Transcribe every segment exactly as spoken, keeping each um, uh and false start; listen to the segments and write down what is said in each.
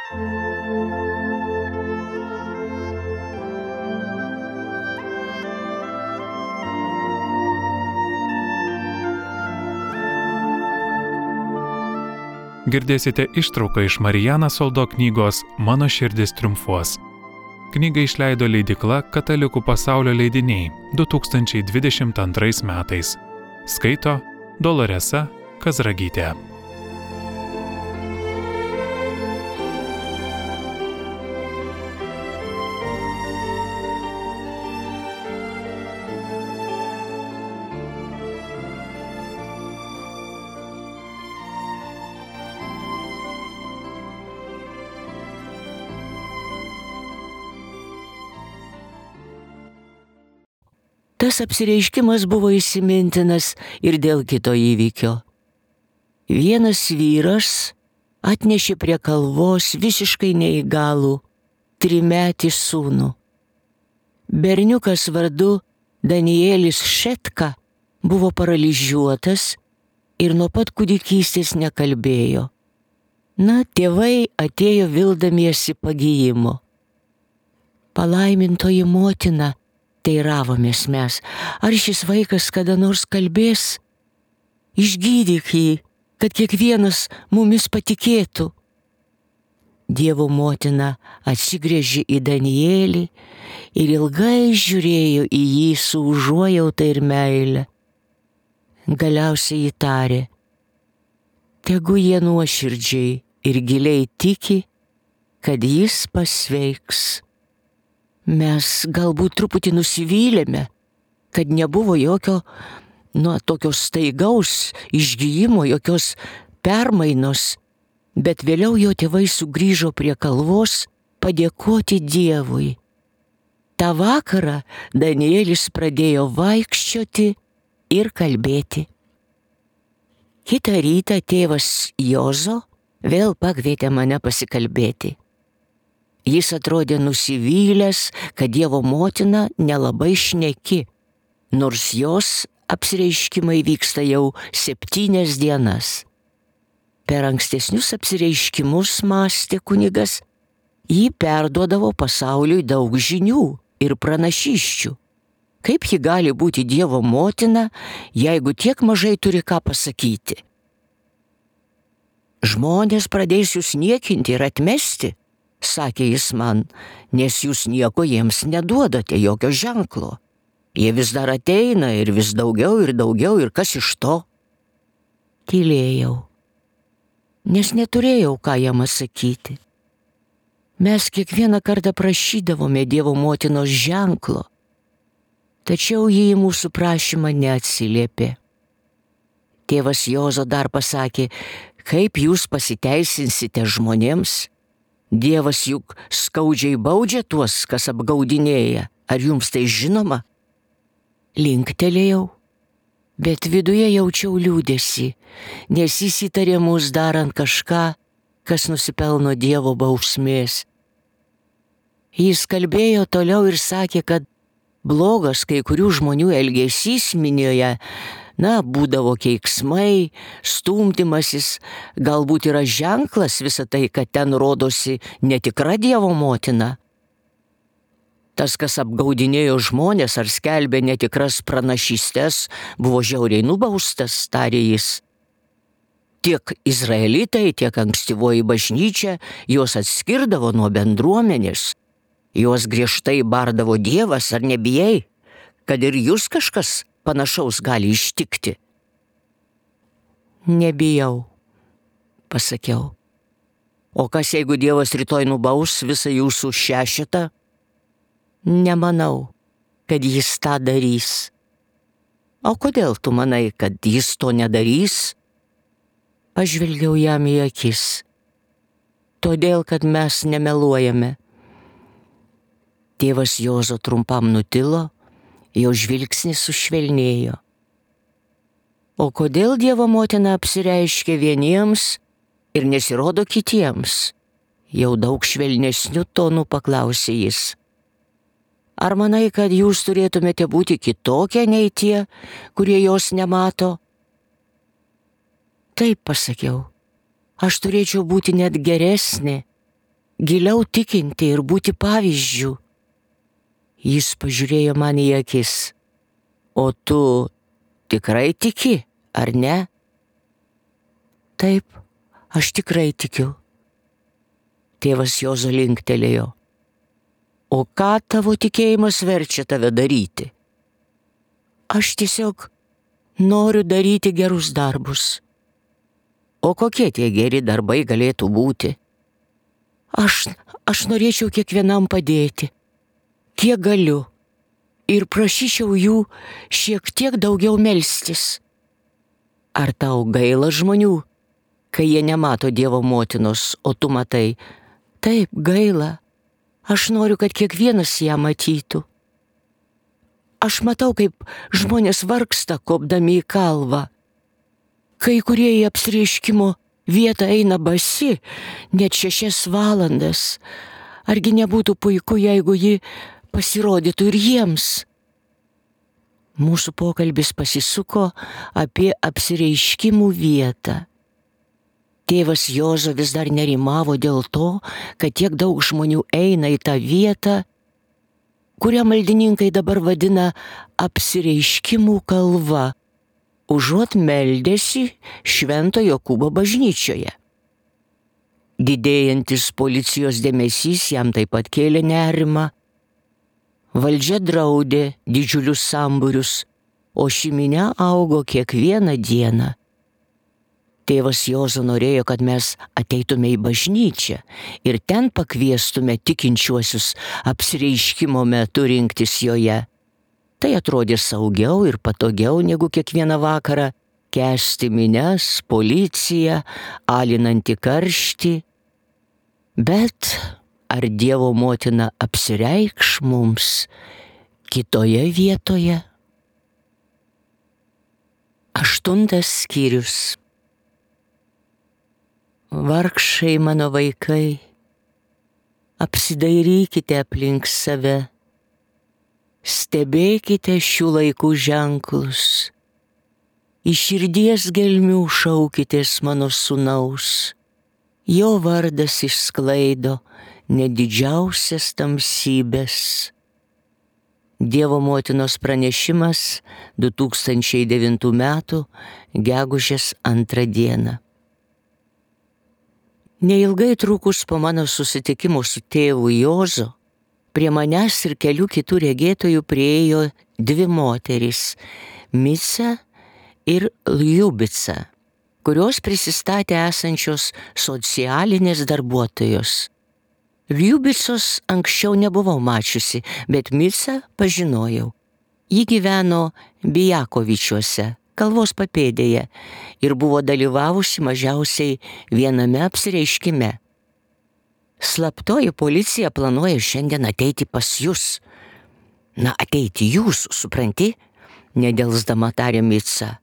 Girdėsite ištrauką iš Mariana Soldo knygos Mano širdis triumfuos. Knygą išleido leidykla Katalikų pasaulio leidiniai du tūkstančiai dvidešimt antrais metais. Skaito Doloresa Kazragytė. Tas apsireiškimas buvo įsimintinas ir dėl kito įvykio. Vienas vyras atnešė prie kalvos visiškai neįgalų trimetį sūnų. Berniukas vardu Danielis Šetka buvo paralyžiuotas ir nuo pat kūdikystės nekalbėjo. Na, tėvai atėjo vildamiesi pagijimo. Palaimintoji motina, teiravomės mes, ar šis vaikas kada nors kalbės? Išgydyk jį, kad kiekvienas mumis patikėtų. Dievo motina atsigręžė į Danielį ir ilgai žiūrėjo į jį su užuojauta ir meile. Galiausiai įtarė: tegu jie nuoširdžiai ir giliai tiki, kad jis pasveiks. Mes galbūt truputį nusivylėme, kad nebuvo jokio, nu, tokio staigaus išgijimo, jokios permainos, bet vėliau jo tėvai sugrįžo prie kalvos padėkoti Dievui. Ta vakarą Danielis pradėjo vaikščioti ir kalbėti. Kitą rytą tėvas Jozo vėl pakvietė mane pasikalbėti. Jis atrodė nusivylęs, kad Dievo motina nelabai šneki, nors jos apsireiškimai vyksta jau septynias dienas. Per ankstesnius apsireiškimus, mąstė kunigas, ji perduodavo pasauliui daug žinių ir pranašysčių. Kaip ji gali būti Dievo motina, jeigu tiek mažai turi ką pasakyti? Žmonės pradės jūs niekinti ir atmesti, sakė jis man, nes jūs nieko jiems neduodate, jokio ženklo. Jie vis dar ateina ir vis daugiau ir daugiau, ir kas iš to? Tylėjau, nes neturėjau ką jam atsakyti. Mes kiekvieną kartą prašydavome Dievo motinos ženklo, tačiau ji į mūsų prašymą neatsiliepė. Tėvas Jozo dar pasakė: kaip jūs pasiteisinsite žmonėms? Dievas juk skaudžiai baudžia tuos, kas apgaudinėja. Ar jums tai žinoma? Linktelėjau, bet viduje jaučiau liūdesį, nes jis įtarė mus darant kažką, kas nusipelno Dievo bausmės. Jis kalbėjo toliau ir sakė, kad blogas kai kurių žmonių elgesys minioje, na, būdavo keiksmai, stumdymasis, galbūt yra ženklas visą tai, kad ten rodosi netikra Dievo motina. Tas, kas apgaudinėjo žmonės ar skelbė netikras pranašystes, buvo žiauriai nubaustas, tarė jis. Tiek izraelitai, tiek ankstyvoji bažnyčia juos atskirdavo nuo bendruomenės. Juos griežtai bardavo: Dievas, ar nebijai, kad ir jūs kažkas panašaus gali ištikti? Nebijau, pasakiau. O kas, jeigu Dievas rytoj nubaus visą jūsų šešetą? Nemanau, kad jis tą darys. O kodėl tu manai, kad jis to nedarys? Pažvelgiau jam į akis. Todėl, kad mes nemeluojame. Tėvas Jozo trumpam nutilo, jo žvilgsnis sušvelnėjo. O kodėl Dievo motina apsireiškia vieniems ir nesirodo kitiems? Jau daug švelnesniu tonu paklausė jis. Ar manai, kad jūs turėtumėte būti kitokie nei tie, kurie jos nemato? Taip, pasakiau, aš turėčiau būti net geresnė, giliau tikinti ir būti pavyzdžių. Jis pažiūrėjo man į akis. O tu tikrai tiki, ar ne? Taip, aš tikrai tikiu. Tėvas Juozo linktelėjo. O ką tavo tikėjimas verčia tave daryti? Aš tiesiog noriu daryti gerus darbus. O kokie tie geri darbai galėtų būti? Aš, aš norėčiau kiekvienam padėti, kiek galiu, ir prašyčiau jų šiek tiek daugiau melstis. Ar tau gaila žmonių, kai jie nemato Dievo motinos, o tu matai? Taip, gaila. Aš noriu, kad kiekvienas ją matytų. Aš matau, kaip žmonės vargsta, kopdami į kalvą. Kai kurie į apsireiškimo vietą eina basi, net šešias valandas. Argi nebūtų puiku, jeigu ji pasirodytų ir jiems? Mūsų pokalbis pasisuko apie apsireiškimų vietą. Tėvas Juozo vis dar nerimavo dėl to, kad tiek daug žmonių eina į tą vietą, kurią maldininkai dabar vadina apsireiškimų kalva, užuot meldėsi Švento Jokūbo bažnyčioje. Didėjantis policijos dėmesys jam taip pat kėlė nerimą. Valdžia draudė didžiulius sambūrius, o ši minia augo kiekvieną dieną. Tėvas Juozo norėjo, kad mes ateitume į bažnyčią ir ten pakviestume tikinčiuosius apsireiškimo metu rinktis joje. Tai atrodė saugiau ir patogiau negu kiekvieną vakarą kęsti minias, policiją, alinantį karštį. Bet ar Dievo motina apsireikš mums kitoje vietoje? Aštuntas skyrius. Vargšai mano vaikai, apsidairykite aplink save, stebėkite šių laikų ženklus, iš širdies gelmių šaukitės mano sūnaus, jo vardas išsklaido net didžiausias tamsybės. Dievo motinos pranešimas du tūkstančiai devintų metų gegužės antrą dieną. Neilgai trukus po mano susitikimo su tėvu Juozo, prie manęs ir kelių kitų regėtojų priėjo dvi moterys – Mica ir Ljubica, kurios prisistatė esančios socialinės darbuotojos. Ljubicos anksčiau nebuvau mačiusi, bet Micą pažinojau. Ji gyveno Bijakovičiuose, kalvos papėdėje, ir buvo dalyvavusi mažiausiai viename apsireiškime. Slaptoji policija planuoja šiandien ateiti pas jūs. Na, ateiti jūs, supranti? Nedelsdama tarė Mica.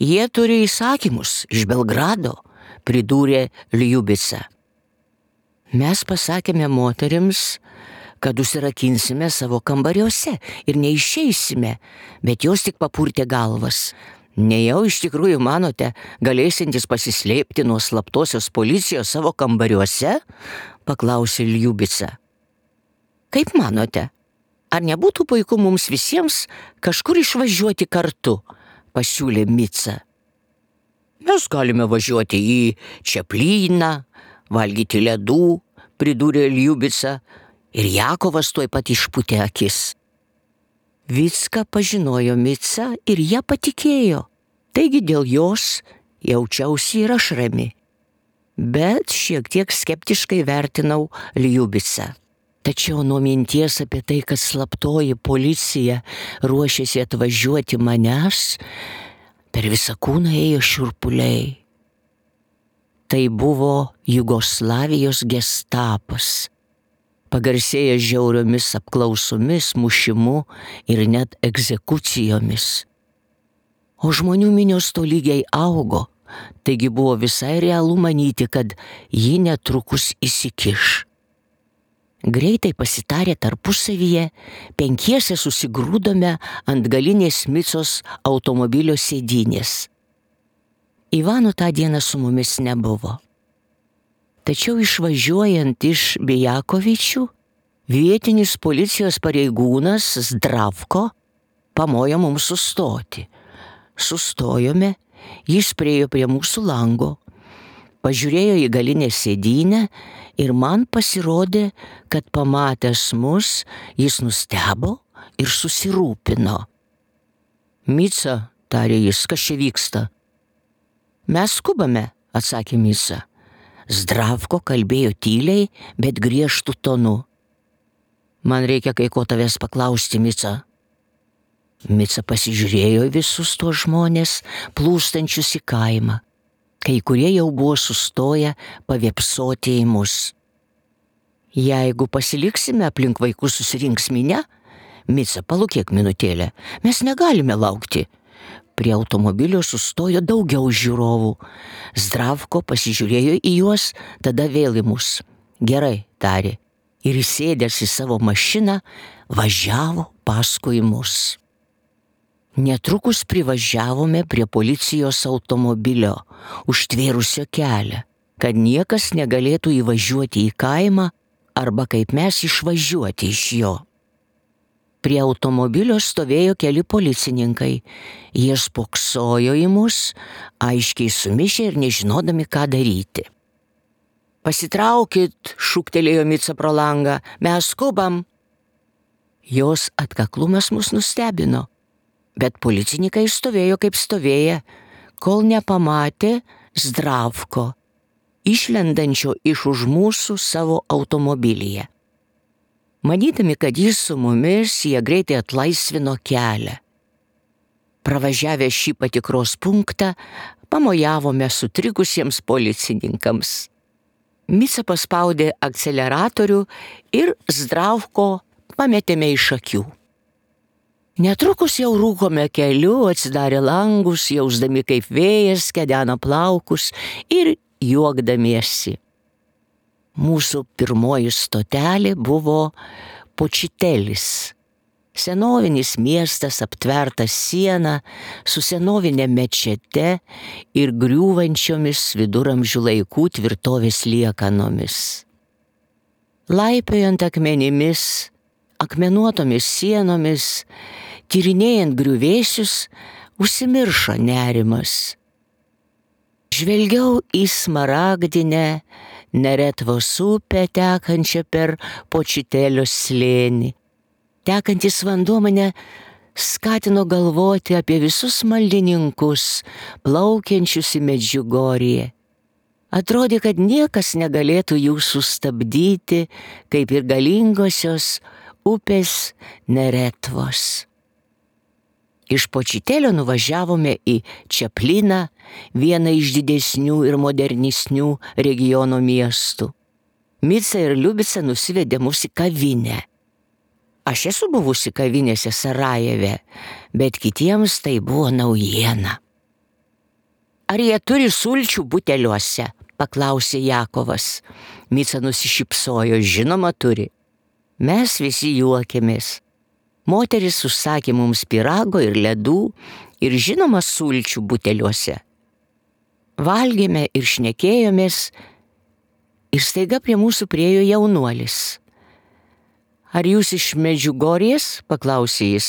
Jie turi įsakymus iš Belgrado, pridūrė Ljubica. Mes pasakėme moterims, kad užsirakinsime savo kambariuose ir neišeisime, bet jos tik papurtė galvas. Nejau iš tikrųjų manote, galėsintis pasislėpti nuo slaptosios policijos savo kambariuose? Paklausė Ljubica. Kaip manote, ar nebūtų puiku mums visiems kažkur išvažiuoti kartu? Pasiūlė Mica. Mes galime važiuoti į Čeplyną, valgyti ledų, pridūrė Ljubica. Ir Jakovas tuoj pat išpūtė akis. Vicka pažinojo Micą ir ją patikėjo, taigi dėl jos jaučiausi ir aš rami. Bet šiek tiek skeptiškai vertinau Ljubicą. Tačiau nuo minties apie tai, kad slaptoji policija ruošėsi atvažiuoti manęs, per visą kūną ėjo šiurpuliai. Tai buvo Jugoslavijos gestapas, pagarsėjęs žiauriomis apklausomis, mušimu ir net egzekucijomis. O žmonių minios tolygiai augo, taigi buvo visai realu manyti, kad ji netrukus įsikiš. Greitai pasitarę tarpusavyje, penkiese susigrūdome ant galinės Micos automobilio sėdynės. Ivano tą dieną su mumis nebuvo. Tačiau išvažiuojant iš Bijakovičių, vietinis policijos pareigūnas Zdravko pamojo mums sustoti. Sustojome, jis priėjo prie mūsų lango, pažiūrėjo į galinę sėdynę ir man pasirodė, kad pamatęs mus, jis nustebo ir susirūpino. Mica, tarė jis, kas čia vyksta? Mes skubame, atsakė Mica. Zdravko kalbėjo tyliai, bet griežtų tonu. Man reikia kai ko tavęs paklausti, Mica. Mica pasižiūrėjo visus tuos žmonės, plūstančius į kaimą. Kai kurie jau buvo sustoję pavėpsoti į mus. Jeigu pasiliksime aplink vaikus susirinks minia, Mica, palūkėk minutėlę, mes negalime laukti. Prie automobilio sustojo daugiau žiūrovų. Zdravko pasižiūrėjo į juos, tada vėl į mus. Gerai, tarė, ir įsėdęs į savo mašiną važiavo paskui mus. Netrukus privažiavome prie policijos automobilio, užtvėrusio kelią, kad niekas negalėtų įvažiuoti į kaimą arba kaip mes išvažiuoti iš jo. Prie automobilio stovėjo keli policininkai. Jie spoksojo į mus, aiškiai sumišę ir nežinodami, ką daryti. Pasitraukit, šūktelėjo Mica pro langą, mes skubam. Jos atkaklumas mus nustebino, bet policininkai stovėjo kaip stovėję, kol nepamatė Zdravko, išlendančio iš už mūsų savo automobilyje. Manydami, kad jis su mumis, jie greitai atlaisvino kelią. Pravažiavę šį patikros punktą, pamojavome sutrikusiems policininkams. Mica paspaudė akceleratorių ir Zdravko pametėme iš akių. Netrukus jau rūkome keliu, atsidarė langus, jausdami kaip vėjas kedena plaukus ir juokdamiesi. Mūsų pirmoji stotelė buvo Počitelis. Senovinis miestas aptvertas siena su senovinė mečete ir griūvančiomis viduramžių laikų tvirtovės liekanomis. Laipiojant akmenimis, akmenuotomis sienomis, tyrinėjant griuvėsius, užsimiršo nerimas. Žvelgiau į smaragdinę Neretvos upę tekančią per Počitelio slėnį. Tekantis vanduo mane skatino galvoti apie visus maldininkus, plaukiančius į Medžiugorję. Atrodė, kad niekas negalėtų jų sustabdyti, kaip ir galingosios upės Neretvos. Iš Počitelio nuvažiavome į Čapliną, vieną iš didesnių ir modernesnių regiono miestų. Mica ir Liubica nusivedė mus į kavinę. Aš esu buvusi kavinėse Sarajeve, bet kitiems tai buvo naujiena. Ar jie turi sulčių buteliuose? Paklausė Jakovas. Mica nusišypsojo, žinoma turi. Mes visi juokėmės. Moteris užsakė mums pyrago ir ledų ir žinoma sulčių buteliuose. Valgėme ir šnekėjomės ir staiga prie mūsų priėjo jaunuolis. Ar jūs iš Medžiugorės? Paklausė jis.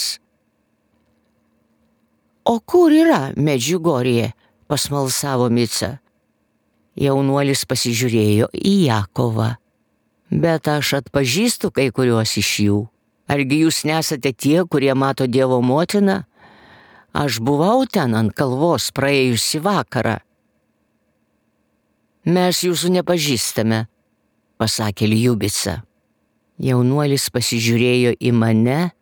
O kur yra Medžiugorė? Pasmalsavo Mica. Jaunuolis pasižiūrėjo į Jakovą. Bet aš atpažįstu kai kuriuos iš jų. Argi jūs nesate tie, kurie mato Dievo motiną? Aš buvau ten ant kalvos praėjusį vakarą. Mes jūsų nepažįstame, pasakė Liubica. Jaunuolis pasižiūrėjo į mane,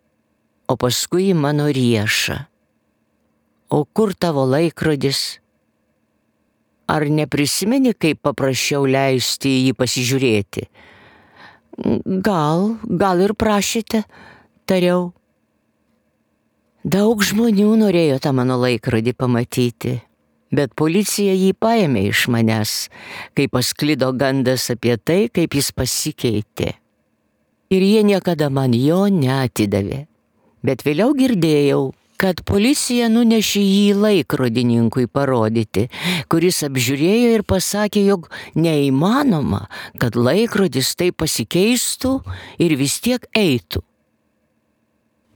o paskui į mano riešą. O kur tavo laikrodis? Ar neprisimeni, kaip paprašiau leisti jį pasižiūrėti? Gal, gal ir prašėte, tariau. Daug žmonių norėjo tą mano laikrodį pamatyti, bet policija jį paėmė iš manęs, kai pasklido gandas apie tai, kaip jis pasikeitė. Ir jie niekada man jo neatidavė. Bet vėliau girdėjau, kad policija nunešė jį laikrodininkui parodyti, kuris apžiūrėjo ir pasakė, jog neįmanoma, kad laikrodis taip pasikeistų ir vis tiek eitų.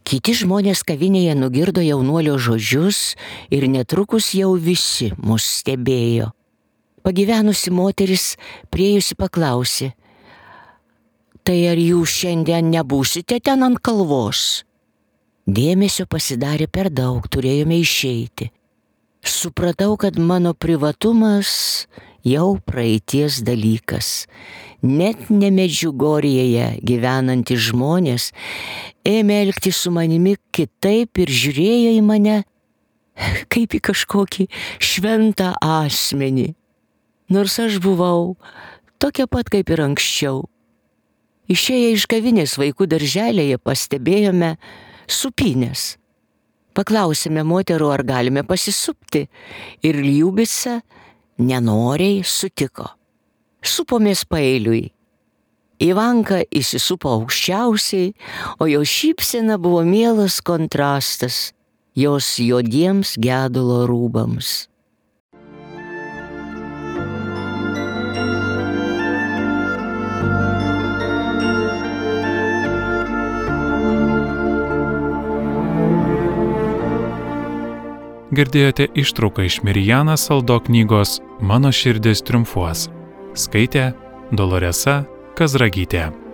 Kiti žmonės kavinėje nugirdo jaunuolio žodžius ir netrukus jau visi mus stebėjo. Pagyvenusi moteris priėjusi paklausė, tai ar jūs šiandien nebūsite ten ant kalvos? Dėmesio pasidarė per daug, turėjome išeiti. Supratau, kad mano privatumas jau praeities dalykas. Net ne Medžiugorjėje gyvenantys žmonės ėmė elgtis su manimi kitaip ir žiūrėjo į mane kaip į kažkokį šventą asmenį. Nors aš buvau tokia pat kaip ir anksčiau. Išėję iš kavinės vaikų darželėje pastebėjome supynės. Paklausėme moterų, ar galime pasisupti, ir Ljubica nenoriai sutiko. Supomės paeiliui. Ivanka įsisupo aukščiausiai, o jo šypsena buvo mielas kontrastas jos juodiems gedulo rūbams. Girdėjote ištrauką iš Mirjana Saldo knygos Mano širdis triumfuos. Skaitė Doloresa Kazragytė.